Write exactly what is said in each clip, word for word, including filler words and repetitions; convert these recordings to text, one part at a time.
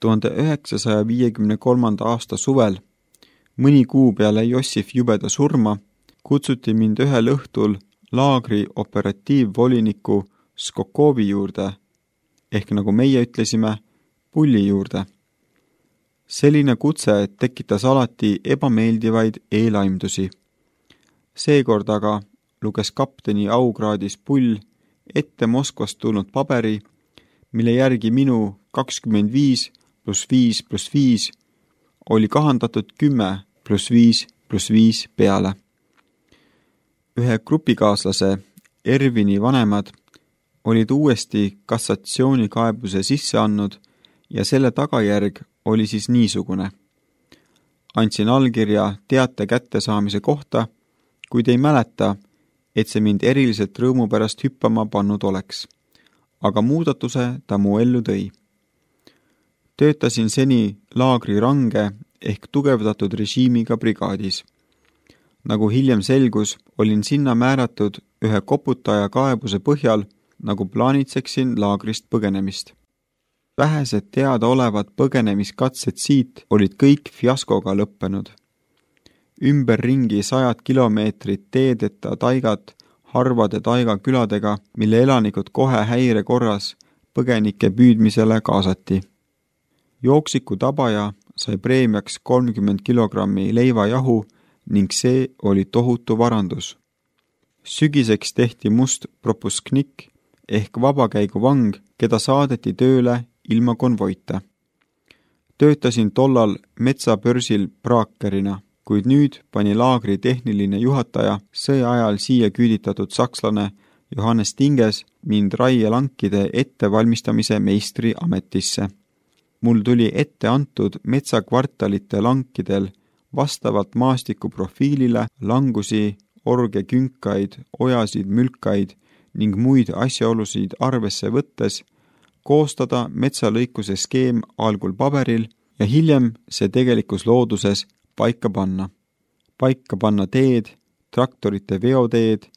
tuhande üheksasaja viiekümne kolmanda aasta suvel, mõni kuu peale Jossif Jubeda surma, kutsuti mind ühel õhtul laagri operatiivvoliniku Skokovi juurde, ehk nagu meie ütlesime, pulli juurde. Selline kutse tekitas alati ebameeldivaid eelaimdusi. Seekord aga luges kapteni aukraadis pull ette Moskvast tulnud paberi, mille järgi minu kakskümmend viis pluss viis pluss viis oli kahandatud kümme pluss viis pluss viis peale. Ühe grupikaaslase Ervini vanemad olid uuesti kassatsioonikaaebuse sisse andnud ja selle tagajärg oli siis niisugune. Andsin allkirja teate kättesaamise kohta, kuid ei mäleta, et see mind eriliselt rõõmu pärast hüppama pannud oleks. Aga muudatuse ta mu ellu tõi. Töötasin seni laagri range ehk tugevdatud režiimiga brigaadis. Nagu hiljem selgus, olin sinna määratud ühe koputaja kaebuse põhjal, nagu plaanitseksin laagrist põgenemist. Vähesed teada olevad põgenemiskatsed siit olid kõik fiaskoga lõppenud. Ümberringi sajad kilomeetrid teedeta taigat harvade taigaküladega, mille elanikud kohe häire korras põgenike püüdmisele kaasati. Jooksiku tabaja sai preemiaks kolmkümmend kilogrammi leivajahu ning see oli tohutu varandus. Sügiseks tehti must propusknik ehk vabakäiguvang, keda saadeti tööle ilma konvoita. Töötasin tollal metsabörsil praakerina, kuid nüüd pani laagri tehniline juhataja sõja ajal siia küüditatud sakslane Johannes Tinges mind raielankide ettevalmistamise meistri ametisse. Mul tuli ette antud metsakvartalite lankidel vastavalt maastiku profiilile langusi, orge künkaid, ojasid, mülkaid ning muid asjaolusid arvesse võttes koostada metsalõikuse skeem algul paberil ja hiljem see tegelikus looduses paika panna. Paika panna teed, traktorite veoteed,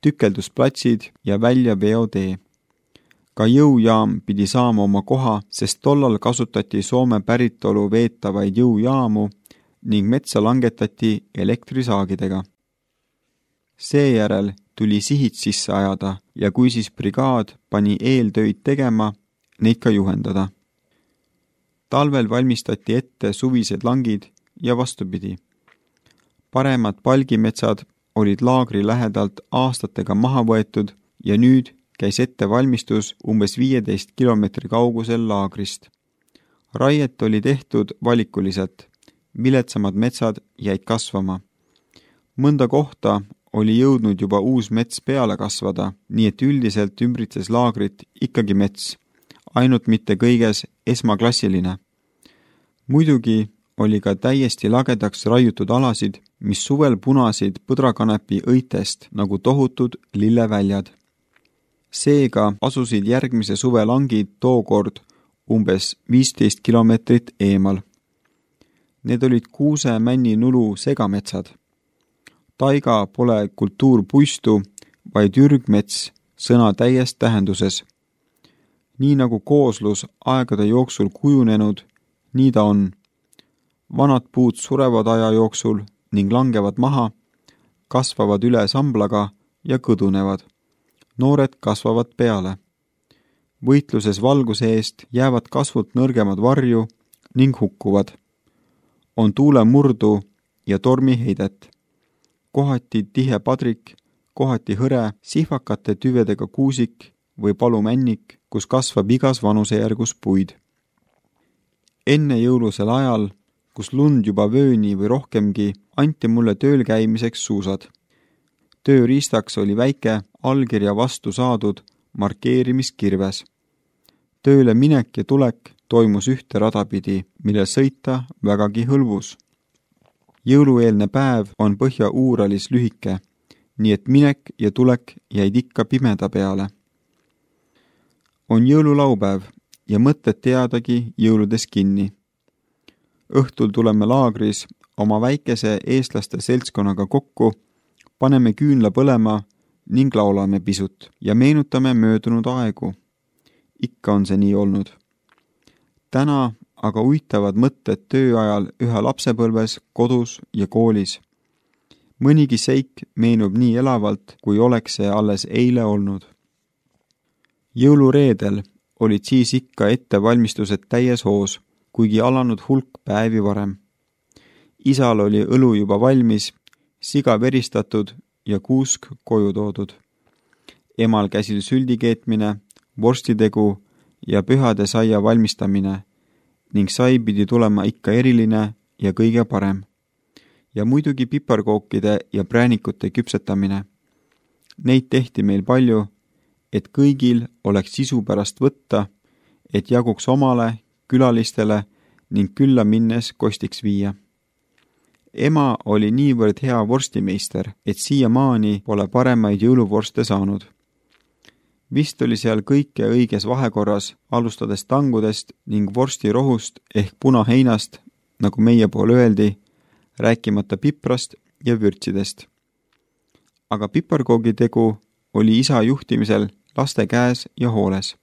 tükeldusplatsid ja välja veotee. Ka jõujaam pidi saama oma koha, sest tollal kasutati Soome päritolu veetavaid jõujaamu ning metsa langetati elektrisaagidega. Seejärel tuli sihid sisse ajada ja kui siis brigaad pani eeltöid tegema, neid ka juhendada. Talvel valmistati ette suvised langid ja vastupidi. Paremad palgimetsad olid laagri lähedalt aastatega maha võetud ja nüüd käis ette valmistus umbes viieteist kilomeetri kaugusel laagrist. Raiet oli tehtud valikuliselt, viletsamad metsad jäid kasvama. Mõnda kohta oli jõudnud juba uus mets peale kasvada, nii et üldiselt ümbritses laagrit ikkagi mets, ainult mitte kõiges esmaklassiline. Muidugi oli ka täiesti lagedaks raiutud alasid, mis suvel punasid põdrakanepi õitest nagu tohutud lilleväljad. Seega asusid järgmise suve langid tookord umbes viisteist kilomeetrit eemal. Need olid kuuse männi nulu segametsad. Taiga pole kultuurpuistu, vaid ürgmets sõna täies tähenduses. Nii nagu kooslus aegade jooksul kujunenud, nii ta on. Vanad puud surevad aja jooksul ning langevad maha, kasvavad üle samblaga ja kõdunevad. Noored kasvavad peale. Võitluses valguse eest jäävad kasvult nõrgemad varju ning hukkuvad. On tuule murdu ja tormi heidet. Kohati tihe padrik, kohati hõre, sihvakate tüvedega kuusik või palumännik, kus kasvab igas vanusejärgus puid. Enne jõulusel ajal, kus lund juba vööni või rohkemgi, anti mulle tööl käimiseks suusad. Tööriistaks oli väike allkirja vastu saadud markeerimiskirves. Tööle minek ja tulek toimus ühte radapidi, mille sõita vägagi hõlvus. Jõulueelne päev on Põhja-Uuralis lühike, nii et minek ja tulek jäid ikka pimeda peale. On jõululaupäev ja mõtted teadagi jõuludes kinni. Õhtul tuleme laagris oma väikese eestlaste seltskonnaga kokku, paneme küünla põlema ning laulame pisut ja meenutame möödunud aegu. Ikka on see nii olnud. Täna aga uitavad mõtted töö ajal üha lapsepõlves, kodus ja koolis. Mõnigi seik meenub nii elavalt, kui oleks see alles eile olnud. Jõulureedel olid siis ikka ettevalmistused täies hoos, kuigi alanud hulk päevi varem. Isal oli õlu juba valmis, siga veristatud ja kuusk koju toodud. Emal käsil süldi keetmine, vorstitegu ja pühade saia valmistamine ning sai pidi tulema ikka eriline ja kõige parem. Ja muidugi piparkookide ja präänikute küpsetamine. Neid tehti meil palju, et kõigil oleks sisu pärast võtta, et jaguks omale, külalistele ning külla minnes kostiks viia. Ema oli niivõrd hea vorstimeister, et siiamaani pole paremaid jõuluvorste saanud. Vist oli seal kõike õiges vahekorras, alustades tangudest ning vorstirohust ehk punaheinast, nagu meie pool öeldi, rääkimata piprast ja vürtsidest. Aga piparkoogitegu oli isa juhtimisel laste käes ja hooles.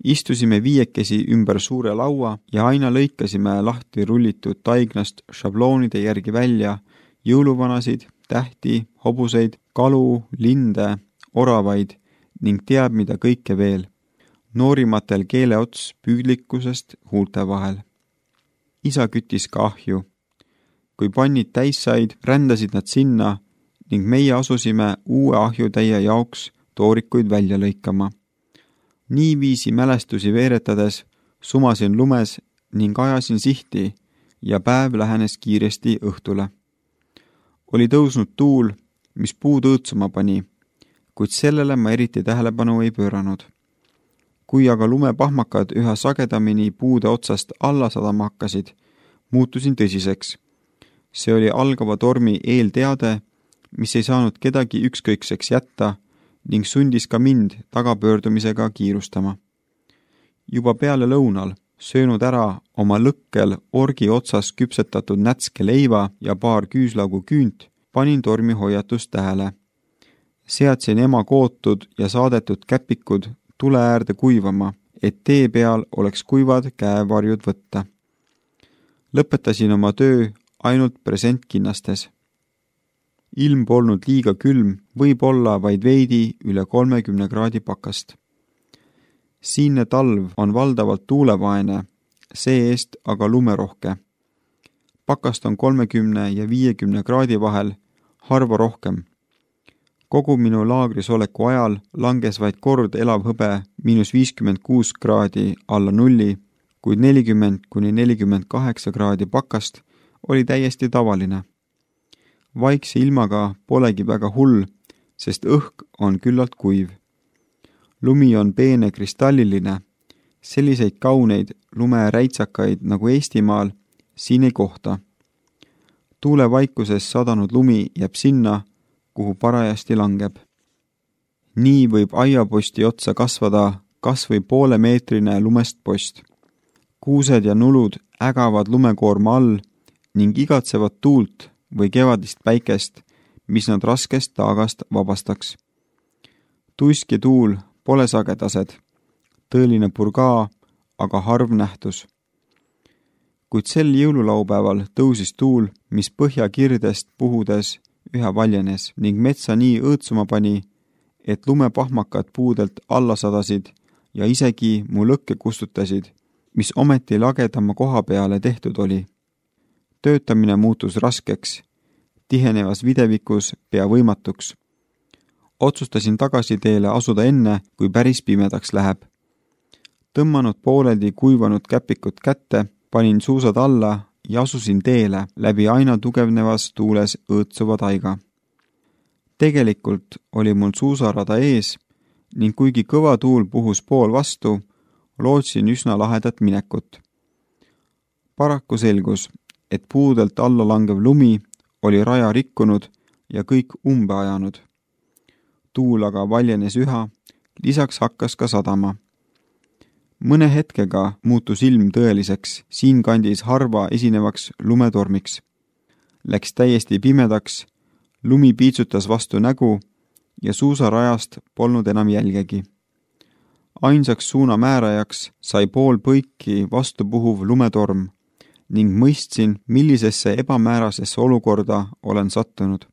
Istusime viiekesi ümber suure laua ja aina lõikasime lahti rullitud taignast šabloonide järgi välja jõuluvanasid, tähti, hobuseid, kalu, linde, oravaid ning teab mida kõike veel. Noorimatel keeleots püüdlikkusest huulte vahel. Isa küttis ka ahju. Kui pannid täis said, rändasid nad sinna ning meie asusime uue ahjutäie jaoks toorikuid välja lõikama. Niiviisi mälestusi veeretades sumasin lumes ning ajasin sihti ja päev lähenes kiiresti õhtule. Oli tõusnud tuul, mis puud õõtsuma pani, kuid sellele ma eriti tähelepanu ei pööranud. Kui aga lumepahmakad üha sagedamini puude otsast alla sadama hakkasid, muutusin tõsiseks. See oli algava tormi eelteade, mis ei saanud kedagi ükskõikseks jätta ning sundis ka mind tagapöördumisega kiirustama. Juba peale lõunal, söönud ära oma lõkkel orgi otsas küpsetatud nätske leiva ja paar küüslaugu küünt, panin tormi hoiatust tähele. Seadsin ema kootud ja saadetud käpikud tule äärde kuivama, et tee peal oleks kuivad käevarjud võtta. Lõpetasin oma töö ainult presentkinnastes. Ilm polnud liiga külm, võib olla vaid veidi üle kolmekümne kraadi pakast. Siinne talv on valdavalt tuulevaene, see-eest aga lumerohke. Pakast on kolmekümne ja viiekümne kraadi vahel, harva rohkem. Kogu minu laagris oleku ajal langes vaid kord elav hõbe miinus viiskümmend kuus kraadi alla nulli, kuid nelikümmend kuni nelikümmend kaheksa kraadi pakast oli täiesti tavaline. Vaikse ilmaga polegi väga hull, sest õhk on küllalt kuiv. Lumi on peene kristalliline, selliseid kauneid lumeräitsakaid nagu Eestimaal siin ei kohta. Tuulevaikuses sadanud lumi jääb sinna, kuhu parajasti langeb. Nii võib aiaposti otsa kasvada kas või poolemeetrine lumest post. Kuused ja nulud ägavad lumekoorma all ning igatsevad tuult või kevadist päikest, mis nad raskest taagast vabastaks. Tuisk ja tuul pole sagedased, tõeline purgaa, aga harv nähtus. Kuid sel jõululaupäeval tõusis tuul, mis põhjakirdest puhudes üha valjenes ning metsa nii õõtsuma pani, et lumepahmakad puudelt alla sadasid ja isegi mu lõkke kustutasid, mis ometi lagedama koha peale tehtud oli. Töötamine muutus raskeks, tihenevas videvikus pea võimatuks. Otsustasin tagasi teele asuda enne, kui päris pimedaks läheb. Tõmmanud pooleldi kuivanud käpikut kätte, panin suusad alla ja asusin teele läbi aina tugevnevas tuules õõtsuva taiga. Tegelikult oli mul suusarada ees ning kuigi kõva tuul puhus pool vastu, lootsin üsna lahedat minekut. Paraku selgus, et puudelt alla langev lumi oli raja rikkunud ja kõik umbe ajanud. Tuul aga valjenes üha, lisaks hakkas ka sadama. Mõne hetkega muutus ilm tõeliseks, siinkandis harva esinevaks lumetormiks. Läks täiesti pimedaks, lumi piitsutas vastu nägu ja suusarajast polnud enam jälgegi. Ainsaks suunamäärajaks sai pool põiki vastupuhuv lumetorm ning mõistsin, millisesse ebamäärasesse olukorda olen sattunud.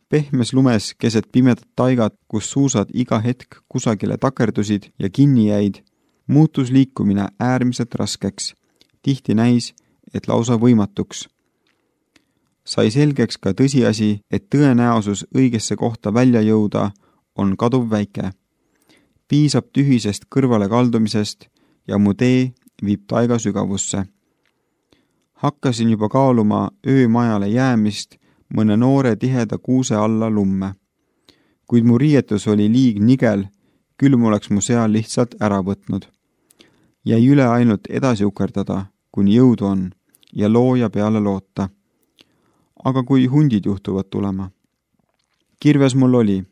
Pehmes lumes keset pimedat taigat, kus suusad iga hetk kusagile takerdusid ja kinni jäid, muutus liikumine äärmiselt raskeks. Tihti näis, et lausa võimatuks. Sai selgeks ka tõsiasi, et tõenäosus õigesse kohta välja jõuda on kaduv väike. Piisab tühisest kõrvale kaldumisest ja mu tee viib taiga sügavusse. Hakkasin juba kaaluma öömajale jäämist mõne noore tiheda kuuse alla lumme. Kuid mu riietus oli liig nigel, küll mu oleks mu seal lihtsalt ära võtnud. Jäi üle ainult edasi ukerdada, kuni jõudu on, ja looja peale loota. Aga kui hundid juhtuvad tulema? Kirves mul oli,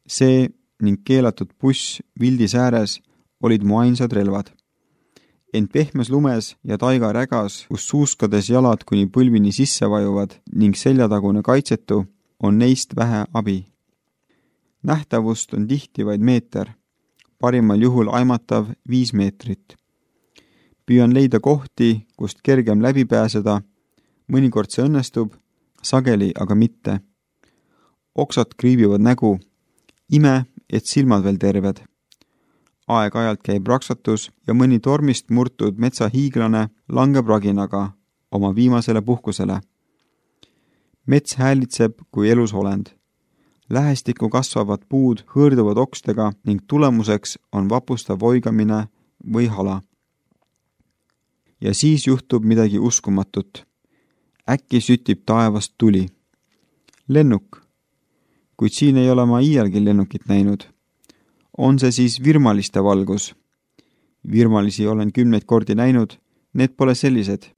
see ning keelatud buss vildis ääres olid mu ainsad relvad. Ent pehmes lumes ja taiga rägas, kus suuskades jalad kuni põlvini sisse vajuvad ning seljatagune kaitsetu, on neist vähe abi. Nähtavust on tihti vaid meeter, parimal juhul aimatav viis meetrit. Püüan leida kohti, kust kergem läbi pääseda, mõnikord see õnnestub, sageli aga mitte. Oksad kriibivad nägu, ime, et silmad veel terved. Aeg-ajalt käib raksatus ja mõni tormist murtud metsahiiglane langeb raginaga oma viimasele puhkusele. Mets häälitseb kui elus olend. Lähestikku kasvavad puud hõõrduvad okstega ning tulemuseks on vapustav oigamine või hala. Ja siis juhtub midagi uskumatut. Äkki sütib taevast tuli. Lennuk. Kuid siin ei ole ma iialgi lennukit näinud. On see siis virmaliste valgus? Virmalisi olen kümneid kordi näinud, need pole sellised.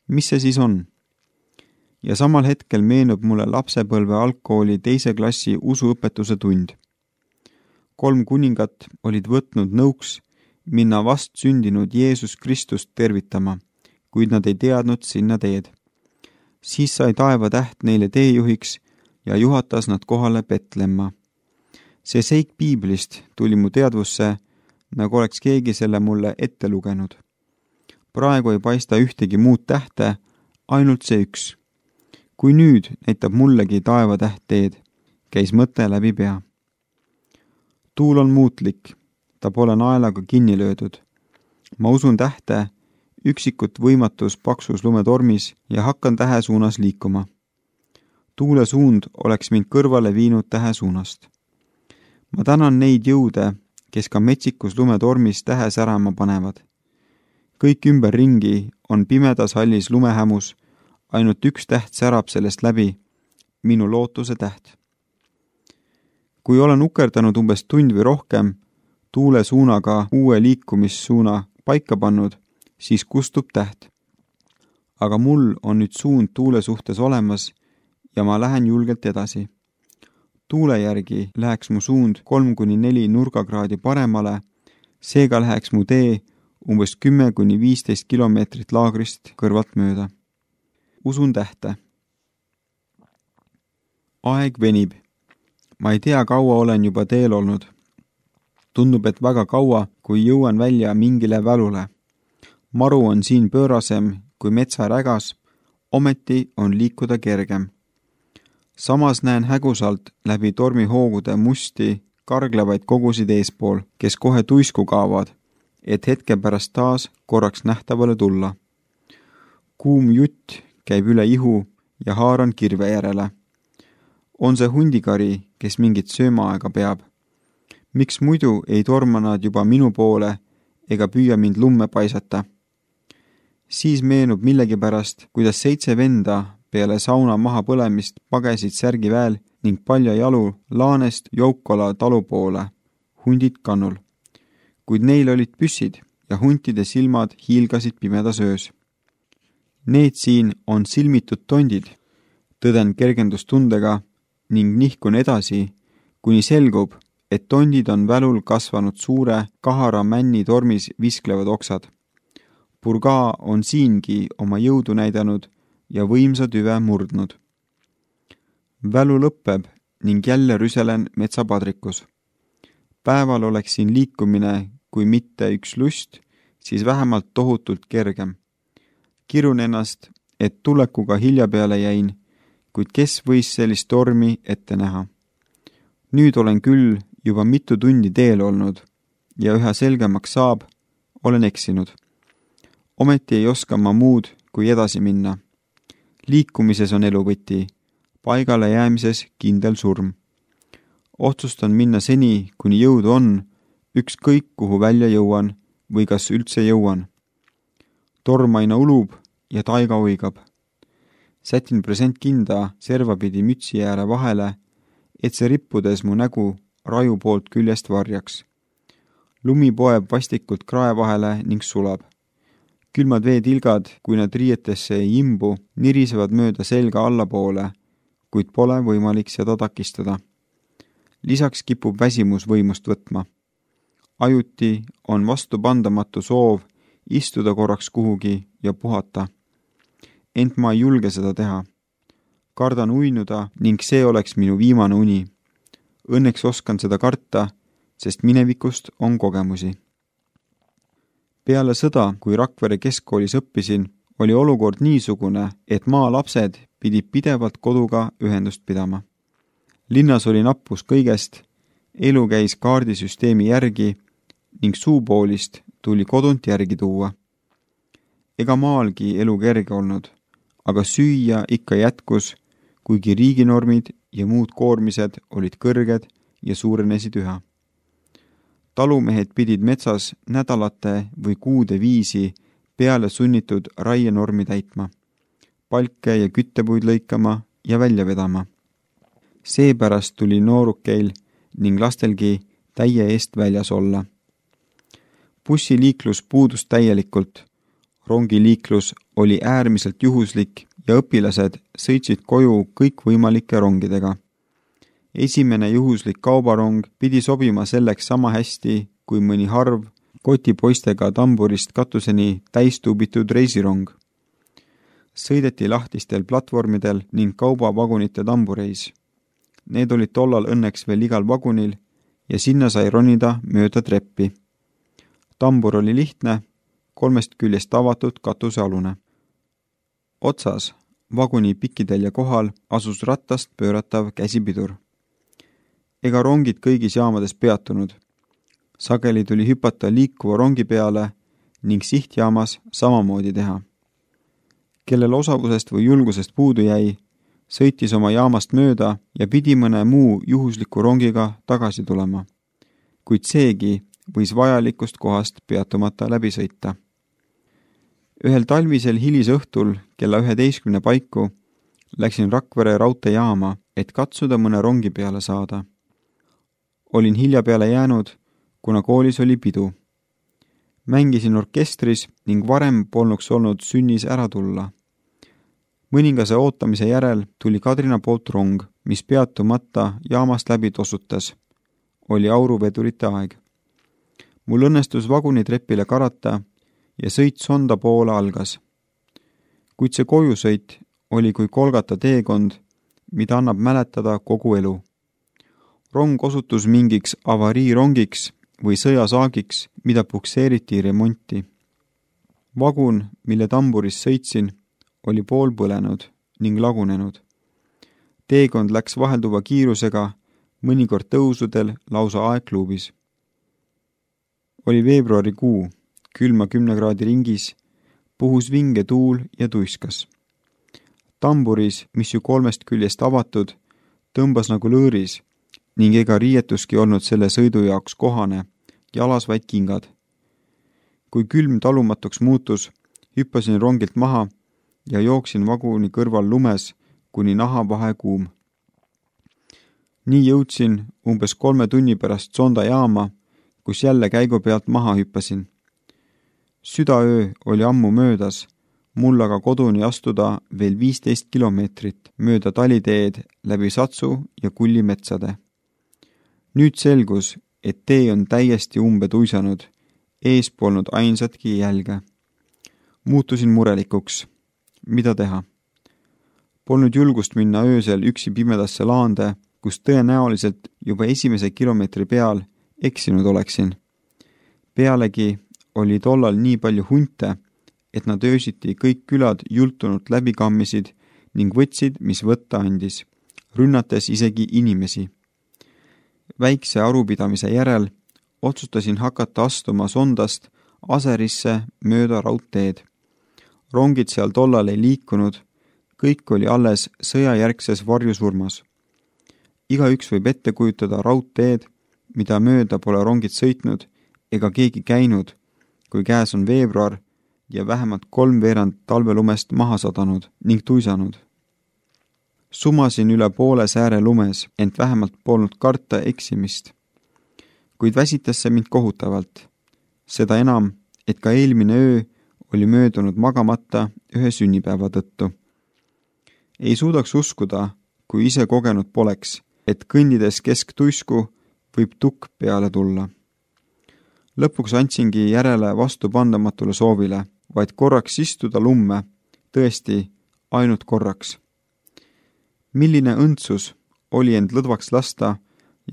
Mis see siis on? Ja samal hetkel meenub mulle lapsepõlve algkooli teise klassi usuõpetuse tund. Kolm kuningat olid võtnud nõuks minna vast sündinud Jeesus Kristust tervitama, kuid nad ei teadnud sinna teed. Siis sai taeva täht neile teejuhiks ja juhatas nad kohale Betlemma. See seik piiblist tuli mu teadvusse, nagu oleks keegi selle mulle ette lugenud. Praegu ei paista ühtegi muud tähte, ainult see üks. Kui nüüd näitab mullegi taeva täht teed, käis mõte läbi pea. Tuul on muutlik, ta pole naelaga kinni löödud. Ma usun tähte, üksikut võimatus paksus lumetormis ja hakkan tähe suunas liikuma. Tuule suund oleks mind kõrvale viinud tähe suunast. Ma tänan neid jõude, kes ka metsikus lumetormis tähe särama panevad. Kõik ümber ringi on pimedas hallis lumehämus, ainult üks täht särab sellest läbi, minu lootuse täht. Kui olen ukerdanud umbes tund või rohkem, tuule suunaga uue liikumissuuna paika pannud, siis kustub täht. Aga mul on nüüd suund tuule suhtes olemas ja ma lähen julgelt edasi. Tuule järgi läheks mu suund kolm kuni neli nurgakraadi paremale, seega läheks mu tee umbes kümme kuni viisteist kilomeetrit laagrist kõrvalt mööda. Usun tähte. Aeg venib. Ma ei tea, kaua olen juba teel olnud. Tundub, et väga kaua, kui jõuan välja mingile välule. Maru on siin pöörasem kui metsarägas, ometi on liikuda kergem. Samas näen hägusalt läbi tormihoogude musti karglevaid kogusid eespool, kes kohe tuisku kaavad, et hetke pärast taas korraks nähtavale tulla. Kuum jutt käib üle ihu ja haaran kirve järele. On see hundikari, kes mingit söömaaega peab? Miks muidu ei torma nad juba minu poole ega püüa mind lumme paisata? Siis meenub millegipärast, kuidas seitse venda peale sauna maha põlemist pagesid särgiväel ning palja jalu laanest Joukola talu poole, hundid kannul. Kuid neil olid püssid ja huntide silmad hiilgasid pimedas öös. Need siin on silmitud tondid, tõden kergendustundega ning nihkun edasi, kuni selgub, et tondid on välul kasvanud suure kahara männi tormis visklevad oksad. Purgaa on siingi oma jõudu näidanud ja võimsa tüve murdnud. Välu lõppeb ning jälle rüselen metsapadrikus. Päeval oleks siin liikumine, kui mitte üks lust, siis vähemalt tohutult kergem. Kirun ennast, et tulekuga hilja peale jäin, kuid kes võis sellist tormi ette näha. Nüüd olen küll juba mitu tundi teel olnud ja üha selgemaks saab, olen eksinud. Ometi ei oska ma muud, kui edasi minna. Liikumises on elu võti, paigale jäämises kindel surm. Otsustan minna seni, kuni jõudu on, ükskõik kuhu välja jõuan või kas üldse jõuan. Torm aina ulub ja taiga uigab. Sätin present kinda servapidi mütsi ääre vahele, et see rippudes mu nägu raju poolt küljest varjaks. Lumi poeb vastikult krae vahele ning sulab. Külmad veetilgad, kui nad riietesse ei imbu, nirisevad mööda selga allapoole, kuid pole võimalik seda takistada. Lisaks kipub väsimus võimust võtma. Ajuti on vastupandamatu soov istuda korraks kuhugi ja puhata. Ent ma ei julge seda teha. Kardan uinuda ning see oleks minu viimane uni. Õnneks oskan seda karta, sest minevikust on kogemusi. Peale sõda, kui Rakvere keskkoolis õppisin, oli olukord niisugune, et maa lapsed pidid pidevalt koduga ühendust pidama. Linnas oli nappus kõigest, elu käis kaardisüsteemi järgi ning suupoolist tuli kodunt järgi tuua. Ega maalgi elu kerge olnud, aga süüa ikka jätkus, kuigi riiginormid ja muud koormised olid kõrged ja suurenesid üha. Talumehed pidid metsas nädalate või kuude viisi peale sunnitud raienormi täitma, palke ja küttepuid lõikama ja välja vedama. Seepärast tuli noorukeil ning lastelgi täie eest väljas olla. Bussiliiklus puudus täielikult, rongiliiklus oli äärmiselt juhuslik ja õpilased sõitsid koju kõikvõimalike rongidega. Esimene juhuslik kaubarong pidi sobima selleks sama hästi kui mõni harv kotipoistega tamburist katuseni täistuubitud reisirong. Sõideti lahtistel platvormidel ning kaubavagunite tambureis. Need olid tollal õnneks veel igal vagunil ja sinna sai ronida mööda treppi. Tambur oli lihtne, kolmest küljest avatud katusealune. Otsas, vaguni pikkidel ja kohal asus rattast pööratav käsipidur. Ega rongid kõigis jaamades peatunud. Sageli tuli hüpata liikuva rongi peale ning sihtjaamas samamoodi teha. Kellel osavusest või julgusest puudu jäi, sõitis oma jaamast mööda ja pidi mõne muu juhusliku rongiga tagasi tulema. Kuid seegi võis vajalikust kohast peatumata läbi sõita. Ühel talvisel hilisõhtul kella üheteistkümne paiku läksin Rakvere raudteejaama, et katsuda mõne rongi peale saada. Olin hilja peale jäänud, kuna koolis oli pidu. Mängisin orkestris ning varem polnuks olnud sünnis ära tulla. Mõningase ootamise järel tuli Kadrina poolt rong, mis peatumata jaamast läbi tossutas. Oli auruvedurite aeg. Mul õnnestus vagunitrepile karata ja sõit sonda poole algas. Kuid see kojusõit oli kui kolgata teekond, mida annab mäletada kogu elu. Rong osutus mingiks avariirongiks või sõjasaagiks, mida pukseeriti remonti. Vagun, mille tamburis sõitsin, oli pool põlenud ning lagunenud. Teekond läks vahelduva kiirusega, mõnikord tõusudel lausa aegluubis. Oli veebruarikuu, külma kümne kraadi ringis, puhus vinge tuul ja tuiskas. Tamburis, mis ju kolmest küljest avatud, tõmbas nagu lõõris ning ega riietuski olnud selle sõidu jaoks kohane, jalas vaid kingad. Kui külm talumatuks muutus, hüppasin rongilt maha ja jooksin vaguni kõrval lumes, kuni naha vahe kuum. Nii jõudsin umbes kolme tunni pärast sonda jaama, kus jälle käigu pealt maha hüppasin. Südaöö oli ammu möödas, mul aga koduni astuda veel viisteist kilomeetrit mööda taliteed läbi Satsu ja Kulli metsade. Nüüd selgus, et tee on täiesti umbe tuisanud, ees polnud ainsatki jälge. Muutusin murelikuks. Mida teha? Polnud julgust minna öösel üksi pimedasse laande, kus tõenäoliselt juba esimese kilomeetri peal eksinud oleksin. Pealegi oli tollal nii palju hunte, et nad öösiti kõik külad jultunult läbi kammisid ning võtsid, mis võtta andis, rünnates isegi inimesi. Väikse arupidamise järel otsustasin hakata astuma Sondast Aserisse mööda raudteed. Rongid seal tollal ei liikunud, kõik oli alles sõjajärgses varjusurmas. Igaüks võib ette kujutada raudteed, mida mööda pole rongid sõitnud ega keegi käinud, kui käes on veebruar ja vähemalt kolm veerand talvelumest maha sadanud ning tuisanud. Sumasin üle poole sääre lumes, ent vähemalt polnud karta eksimist. Kuid väsitas see mind kohutavalt. Seda enam, et ka eelmine öö oli möödunud magamata ühe sünnipäeva tõttu. Ei suudaks uskuda, kui ise kogenud poleks, et kõndides kesktuisku võib tukk peale tulla. Lõpuks andsingi järele vastupandamatule soovile, vaid korraks istuda lumme, tõesti ainult korraks. Milline õndsus oli end lõdvaks lasta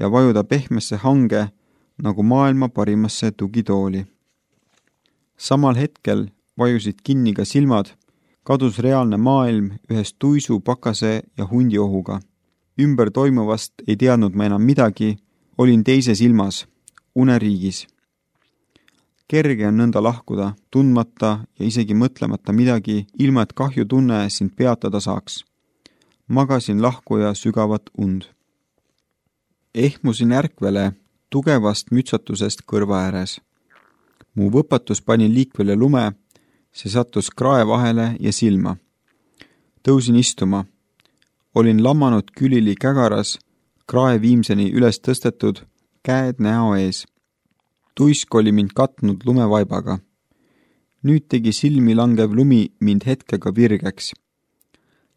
ja vajuda pehmesse hange nagu maailma parimasse tugitooli. Samal hetkel vajusid kinni ka silmad, kadus reaalne maailm ühes tuisu, pakase ja hundi ohuga. Ümber toimuvast ei teadnud ma enam midagi, olin teises ilmas, uneriigis. Kerge on nõnda lahkuda, tundmata ja isegi mõtlemata midagi, ilma et kahjutunne sind peatada saaks. Magasin lahkuja sügavat und. Ehmusin ärkvele tugevast mütsatusest kõrva ääres. Mu võpatus pani liikvele lume, see sattus krae vahele ja silma. Tõusin istuma. Olin lammanud külili kägaras, krae viimseni üles tõstetud, käed näo ees. Tuisk oli mind katnud lumevaibaga. Nüüd tegi silmi langev lumi mind hetkega virgeks.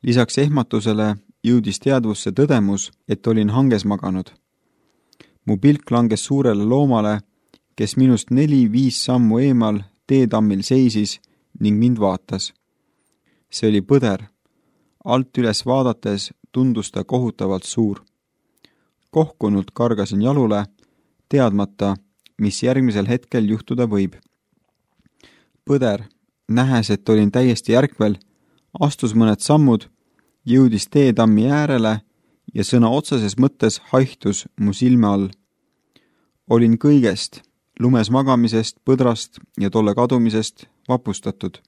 Lisaks ehmatusele jõudis teadvusse tõdemus, et olin hanges maganud. Mu pilk langes suurele loomale, kes minust neli-viis sammu eemal teetammil seisis ning mind vaatas. See oli põder. Alt üles vaadates tundus ta kohutavalt suur. Kohkunult kargasin jalule, teadmata, mis järgmisel hetkel juhtuda võib. Põder, nähes, et olin täiesti ärkvel, astus mõned sammud, jõudis teetammi äärele ja sõna otseses mõttes haihtus mu silme all. Olin kõigest, lumes magamisest, põdrast ja tolle kadumisest vapustatud.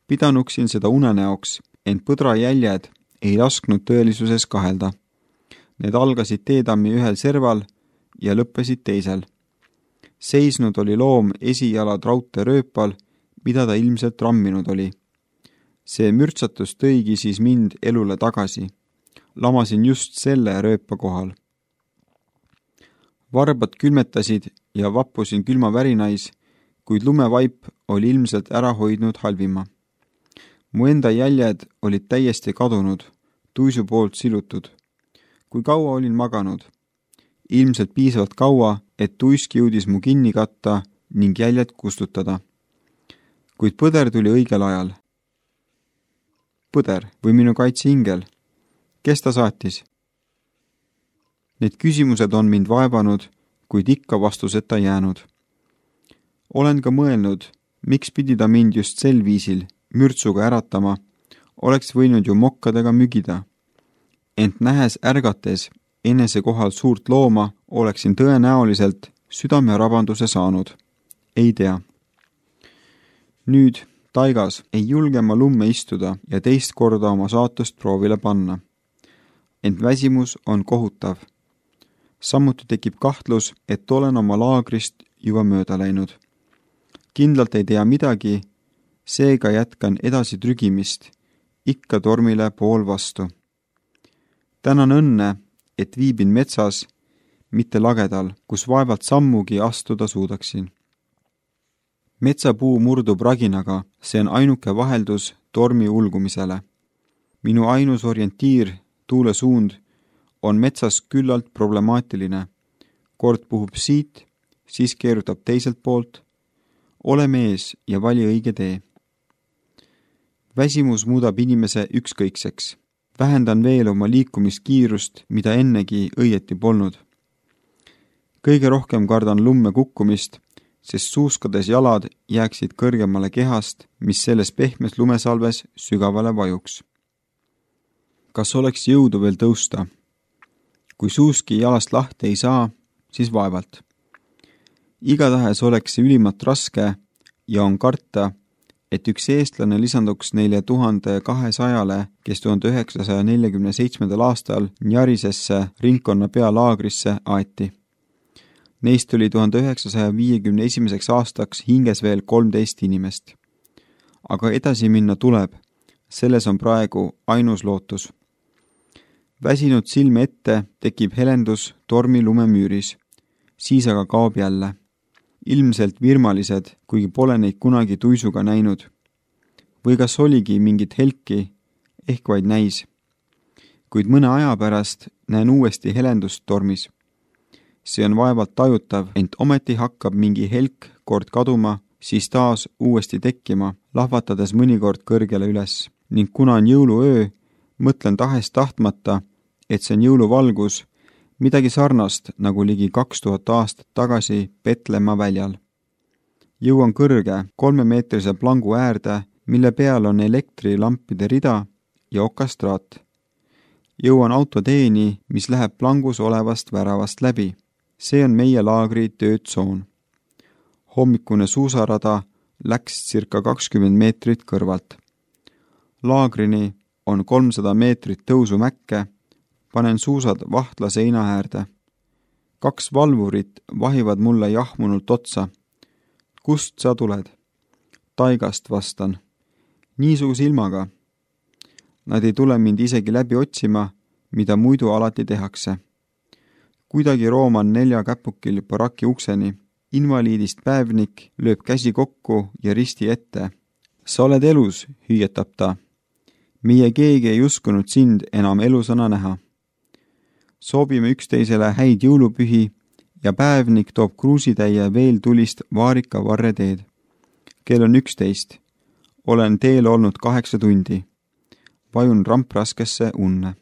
Pidanuksin seda unenäoks, ent põdra jäljed ei lasknud tõelisuses kahelda. Need algasid teetammi ühel serval ja lõppesid teisel. Seisnud oli loom esijalad raudtee rööpal, mida ta ilmselt ramminud oli. See mürtsatus tõigi siis mind elule tagasi. Lamasin just selle rööpa kohal. Varbad külmetasid ja vappusin külma värinais, kuid lumevaip oli ilmselt ära hoidnud halvima. Mu enda jäljed olid täiesti kadunud, tuisu poolt silutud. Kui kaua olin maganud? Ilmselt piisavalt kaua, et tuisk jõudis mu kinni katta ning jäljed kustutada. Kuid põder tuli õigel ajal. Põder või minu kaitseingel? Kes ta saatis? Need küsimused on mind vaevanud, kuid ikka vastuseta jäänud. Olen ka mõelnud, miks pidi ta mind just sel viisil mürtsuga äratama, oleks võinud ju mokkadega mügida. Ent nähes ärgates enese kohal suurt looma, oleksin tõenäoliselt südamerabanduse saanud. Ei tea. Nüüd taigas ei julge ma lumme istuda ja teist korda oma saatust proovile panna. Ent väsimus on kohutav. Samuti tekib kahtlus, et olen oma laagrist juba mööda läinud. Kindlalt ei tea midagi, seega jätkan edasi trügimist, ikka tormile pool vastu. Tänan õnne, et viibin metsas, mitte lagedal, kus vaevalt sammugi astuda suudaksin. Metsapuu murdub raginaga, see on ainuke vaheldus tormi ulgumisele. Minu ainus orientiir, tuule suund, on metsas küllalt problemaatiline. Kord puhub siit, siis keerutab teiselt poolt. Ole mees ja vali õige tee. Väsimus muudab inimese ükskõikseks. Vähendan veel oma liikumiskiirust, mida ennegi õieti polnud. kõige rohkem kardan lumme kukkumist, sest suuskades jalad jääksid kõrgemale kehast, mis selles pehmes lumesalves sügavale vajuks. Kas oleks jõudu veel tõusta? Kui suuski jalast lahti ei saa, siis vaevalt. Igatahes oleks see ülimalt raske ja on karta, et üks eestlane lisanduks neile tuhande kahesajale, kes tuhande üheksasaja neljakümne seitsmendal aastal Njarisesse ringkonna pealaagrisse aeti. Neist oli tuhande üheksasaja viiekümne esimeseks aastaks hinges veel kolmteist inimest. Aga edasi minna tuleb, selles on praegu ainus lootus. Väsinud silme ette tekib helendus tormi lumemüüris, siis aga kaob jälle. Ilmselt virmalised, kuigi pole neid kunagi tuisuga näinud. Või kas oligi mingit helki, ehk vaid näis. Kuid mõne aja pärast näen uuesti helendust tormis. See on vaevalt tajutav, ent ometi hakkab mingi helk kord kaduma, siis taas uuesti tekkima, lahvatades mõnikord kõrgele üles. Ning kuna on jõuluöö, mõtlen tahes tahtmata, et see on jõuluvalgus, midagi sarnast nagu ligi kaks tuhat aastat tagasi Petlemma väljal. Jõuan kõrge kolmemeetrise plangu äärde, mille peal on elektrilampide rida ja okastraat. Jõuan autoteeni, mis läheb plangus olevast väravast läbi. See on meie laagri töötsoon. Hommikune suusarada läks circa kakskümmend meetrit kõrvalt. Laagrini on kolmsada meetrit tõusu mäkke, panen suusad vahtla seina äärde. Kaks valvurit vahivad mulle jahmunult otsa. Kust sa tuled? Taigast vastan. Niisuguse ilmaga. Nad ei tule mind isegi läbi otsima, mida muidu alati tehakse. Kuidagi rooman nelja käpukil baraki ukseni. Invaliidist päevnik lööb käsi kokku ja risti ette. Sa oled elus, hüüetab ta. Meie keegi ei uskunud sind enam elusana näha. Soobime üksteisele häid jõulupühi ja päevnik toob kruusitäie veel tulist vaarika varre teed. Kell on üksteist. Olen teel olnud kaheksa tundi. Vajun rampraskesse unne.